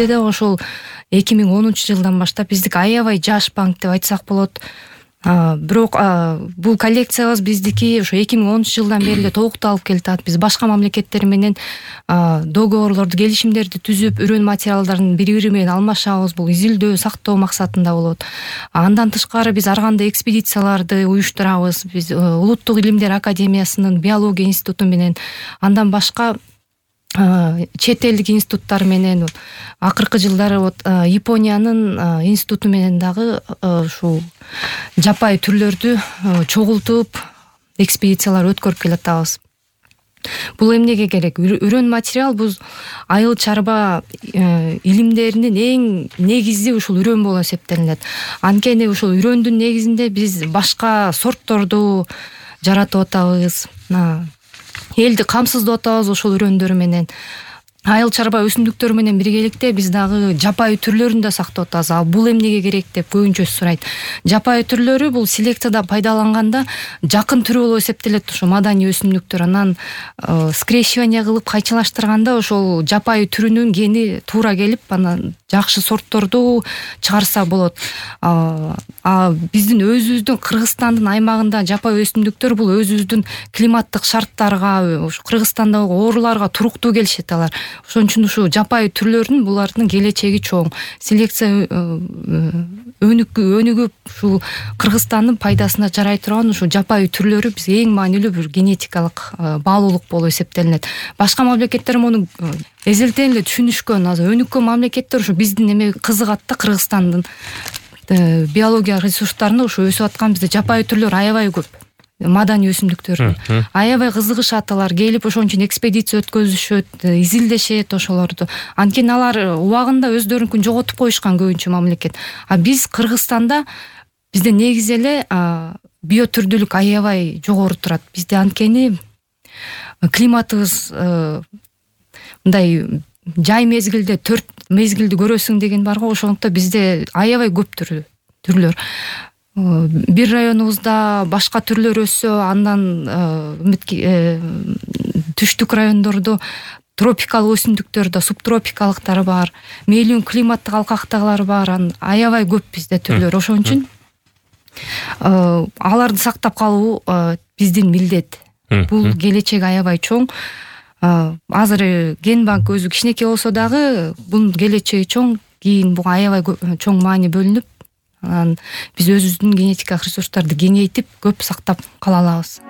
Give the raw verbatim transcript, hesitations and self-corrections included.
Бизде да ошол эки миң онунчу жылдан баштап биздики аябай жаш банк деп айтсак болот. Бирок бул коллекциябыз биздики ошо эки миң онунчу жылдан бери эле толукталып келатат. Биз башка мамлекеттер менен договорлорду, келишимдерди түзүп, үрөн материалдарын бири-бири менен алмашабыз. Бул изилдөө, сактоо максатында болот. Андан тышкары биз ар кандай экспедицияларды уюштурабыз. Биз Улуттук илимдер академиясынын биология институту менен, андан башка чет элдик институттар менен, акыркы жылдары вот Япониянын институту менен дагы ушул жапайы түрлөрдү чогултуп экспедициялар өткөрүп келатабыз. Бул эмнеге керек? Үрөн материал бул айыл чарба илимдеринин эң негизи ушул үрөн болуп эсептелинет. Анткени ушул үрөндүн негизинде биз башка сортторду жаратып атабыз. Элди камсыздап атабыз ошол үрөндөр менен. Айыл чарба өсүмдүктөр менен биргеликте биз дагы жапайы түрлөрүн да сактап атабыз. А бул эмнеге керек деп көбүнчө сурайт. Жапайы түрлөрү бул селекцияда пайдаланганда жакын түрү болуп эсептелет ошо маданий өсүмдүктөр. Анан скрещивание кылып кайчылаштырганда ошол жапайы түрүнүн гени туура келип, анан жакшы сортторду чыгарса болот. А биздин өзүбүздүн Кыргызстандын аймагында жапайы өсүмдүктөр бул өзүбүздүн климаттык шарттарга, ош Кыргызстандагы ооруларга туруктуу келишет алар. Ошон үчүн ушу жапайы түрлөрдүн булардын келечеги чоң. Селекция өнүгүп ушул Кыргызстандын пайдасына жарай турган ушул жапайы түрлөрү биз эң маанилүү бир генетикалык баалуулук болуп эсептелинет. Башка мамлекеттер муну эзелтен эле түшүнүшкөн. Азыр өнүккөн мамлекеттер ушу биздин эме кызыгат да, Кыргызстандын биология ресурстарына ушу өсүп аткан бизде жапайы түрлөр аябай көп. Маданий өсүмдүктөр аябай кызыгышат, алар келип ошон үчүн экспедиция өткөзүшөт, изилдешет ошолорду. Анткени алар убагында өздөрүнкүн жоготуп коюшкан көбүнчө мамлекет. А биз Кыргызстанда бизде негизи эле биотүрдүүлүк аябай жогору турат. Бизде анткени климатыбыз мындай жай мезгилде төрт мезгилди көрөсүң деген бар го, ошондуктан бизде аябай көп түрлөр. Бир районубузда башка түрлөр өссө, андан түштүк райондордо тропикалык өсүмдүктөр да, субтропикалыктар бар, мейлиун климаттык алкактыгылар бар, аябай көп бизде түрлөр. Ошон үчүн аларды сактап калуу биздин милдет. Бул келечеги аябай чоң. Азыр ген банк өзү кичинекей болсо дагы бунун келечеги чоң. Кийин буга аябай чоң маани бөлүнүп, анан биз өзүбүздүн генетикалык ресурстарды кеңейтип, көп сактап кала алабыз.